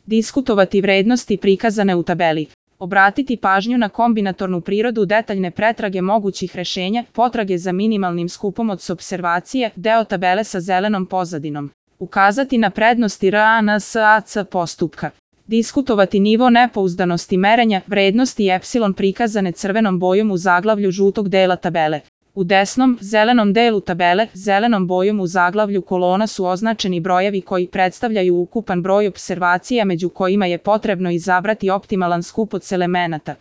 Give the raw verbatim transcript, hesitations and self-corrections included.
Diskutovati vrednosti prikazane u tabeli. Obratiti pažnju na kombinatornu prirodu detaljne pretrage mogućih rešenja, potrage za minimalnim skupom od supservacije, deo tabele sa zelenom pozadinom. Ukazati na prednosti R A N S A C postupka. Diskutovati nivo nepouzdanosti merenja, vrednosti epsilon prikazane crvenom bojom u zaglavlju žutog dela tabele. U desnom, zelenom delu tabele, zelenom bojom u zaglavlju kolona su označeni brojevi koji predstavljaju ukupan broj opservacija među kojima je potrebno izabrati optimalan skup od elemenata.